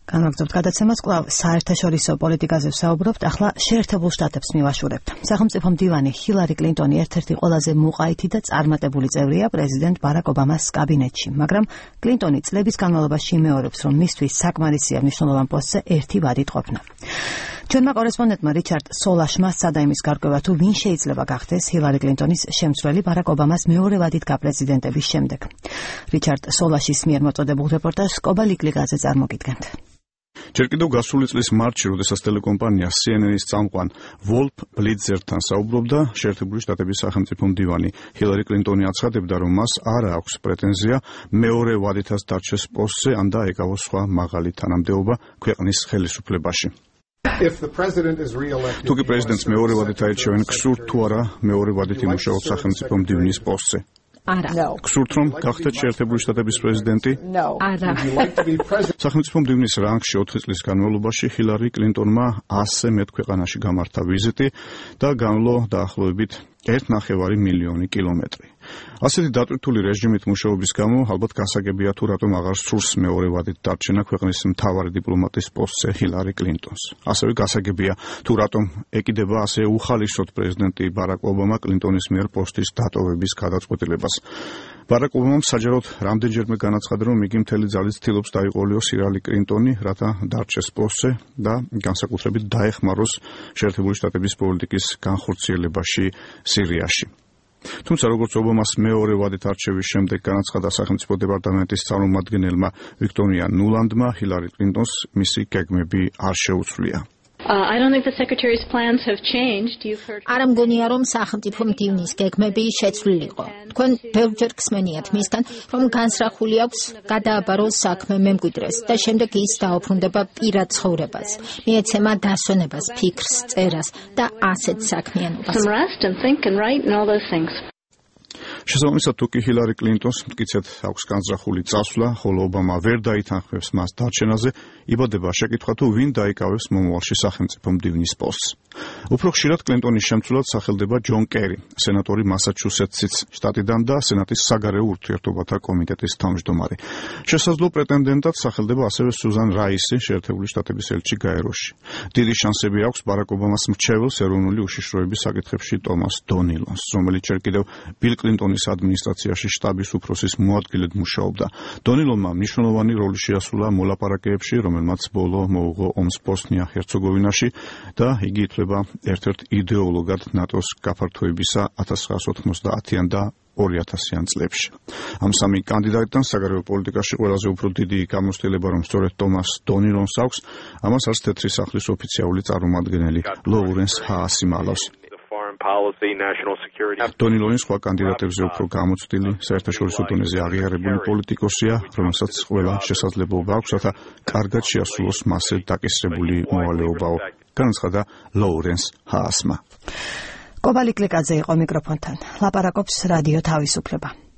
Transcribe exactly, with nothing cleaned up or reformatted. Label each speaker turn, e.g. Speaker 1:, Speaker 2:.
Speaker 1: განვაგრძობთ გადაცემას, კვლავ საერთაშორისო პოლიტიკაზე ვსაუბრობთ, ახლა შეერთებულ შტატებს მივაშურებთ. სახელმწიფო მდივანი ჰილარი კლინტონი ერთ-ერთი ყველაზე მუყაითი და წარმატებული წევრია პრეზიდენტ ბარაკ ობამას კაბინეტში, მაგრამ კლინტონი წლების განმავლობაში იმეორებს, რომ მისთვის საკმარისია მნიშვნელოვან პოსტზე ერთი ვადით ყოფნა. ჩვენმა კორესპონდენტმა რიჩარდ სოლაშმა სცადა იმის გარკვევა, თუ ვინ შეიძლება გახდეს ჰილარი კლინტონის შემცვლელი ბარაკ ობამას მეორე ვადით გაპრეზიდენტების შემდეგ. რიჩარდ სოლაშის მიერ მოწოდებულ რეპორტაჟს კობა ლიკლიკაძე წარმოგიდგენთ.
Speaker 2: ჯერ კიდევ გასული წლის მარტში, როდესაც ტელეკომპანია სი ენ ენის წამყვან ვოლფ ბლიცერთან საუბრობდა, შეერთებული შტატების სახელმწიფო მდივანი ჰილარი კლინტონი აცხადებდა, რომ მას არ აქვს პრეტენზია მეორე ვადითაც დარჩეს პოსტზე, ან და ეკავოს სხვა მაღალი თანამდებობა ქვეყნის ხელისუფლებაში. თუკი პრეზიდენტს მეორე ვადით აირჩევენ, გსურთ თუ არა მეორე ვადით იმუშაოთ სახელმწიფო მდივნის პოსტზე?
Speaker 1: არა.
Speaker 2: გსურთ რომ გახდეთ შეერთებული შტატების პრეზიდენტი?
Speaker 1: არა.
Speaker 2: სახელმწიფო მდივნის რანგში ოთხი წლის განმავლობაში ჰილარი კლინტონმა ასზე მეტ ქვეყანაში გამართა ვიზიტი და განვლო დაახლოებით ერთ ნახევარი მილიონი კილომეტრი. ასეთი დატვირთული რეჟიმით მუშაობის გამო ალბათ გასაგებია, თუ რატომ აღარ სურს მეორე ვადით დარჩენა ქვეყნის მთავარი დიპლომატის პოსტზე ჰილარი კლინტონს. ასევე გასაგებია, თუ რატომ ეკიდება ასე უხალისოდ პრეზიდენტი ბარაკ ობამა კლინტონის მიერ პოსტის დატოვების გადაწყვეტილებას. ბარაკ ობამამ საჯაროდ რამდენჯერმე განაცხადა, რომ იგი მთელი ძალით ცდილობს დაიყოლიოს ჰილარი კლინტონი, რათა დარჩეს პოსტზე და განსაკუთრებით დაეხმაროს შეერთებული შტატების პოლიტიკის განხორციელებაში სირიაში. თუმცა როგორც ობამას მეორე ვადით არჩევის შემდეგ განაცხადა სახელმწიფო დეპარტამენტის წარმომადგენელმა ვიქტორია ნულანდმა, ჰილარი კლინტონს მისი გეგმები არ შეუცვლია.
Speaker 3: არ მგონია, რომ სახელმწიფო მდივნის გეგმები შეცვლილიყო. თქვენ ბევრჯერ გსმენიათ მისგან, რომ განსრახული აქვს გადააბაროს საქმე მემკვიდრეს და შემდეგ ის დაუბრუნდება პირად ცხოვრებას, მიეცემა დასვენებას, ფიქრს, წერას და ასეთ საქმიანობას.
Speaker 2: შესაბამისად, თუკი ჰილარი კლინტონს მტკიცედ აქვს განზრახული წასვლა, ხოლო ობამა ვერ დაითანხმებს მას დარჩენაზე, იბადება შეკითხვა, თუ ვინ დაიკავებს მომავალში სახელმწიფო მდივნის პოსტს. უფრო ხშირად კლინტონის შემცვლელად სახელდება ჯონ კერი, სენატორი მასაჩუსეტსის შტატიდან და სენატის საგარეო ურთიერთობათა კომიტეტის თავმჯდომარე. შესაძლო პრეტენდენტად სახელდება ასევე სუზან რაისი, შეერთებული შტატების ელჩი გაეროში. დიდი შანსები აქვს ბარაკ ობამას მრჩეველს ეროვნული უშიშროების საკითხებში ტომას დონილონს, რომელიც ჯერ კიდევ ბილ კლინტონის ადმინისტრაციაში შტაბის უფროსის მოადგილედ მუშაობდა. დონილონმა მნიშვნელოვანი როლი შეასრულა მოლაპარაკებებში, რომელმაც ბოლო მოუღო ომს ბოსნია ჰერცეგოვინაში და იგი ითვლება ერთ-ერთ იდეოლოგად ნატოს გაფართოებისა ათას ცხრაასი ოთხმოცდაათიან და ორი ათასიან წლებში. ამ სამი კანდიდატიდან საგარეო პოლიტიკაში ყველაზე უფრო დიდი გამოცდილება, რომ სწორედ ტომას დონილონს აქვს, ამას არც თეთრი სახლის ოფიციალური წარმომადგენელი ლოურენს ჰაასი მალავს. დონილონის სხვა კანდიდატებზე უფრო გამოცდილი, საერთაშორისო დონეზე აღიარებული პოლიტიკოსია, რომელსაც ყველა შესაძლებლობა აქვს, რათა კარგად შეასრულოს მასზე დაკისრებული მოვალეობაო, განაცხადა ლოურენს ჰაასმა.
Speaker 1: კობა ლიკლიკაძე იყო მიკროფონთან. ლაპარაკობს რადიო თავისუფლება.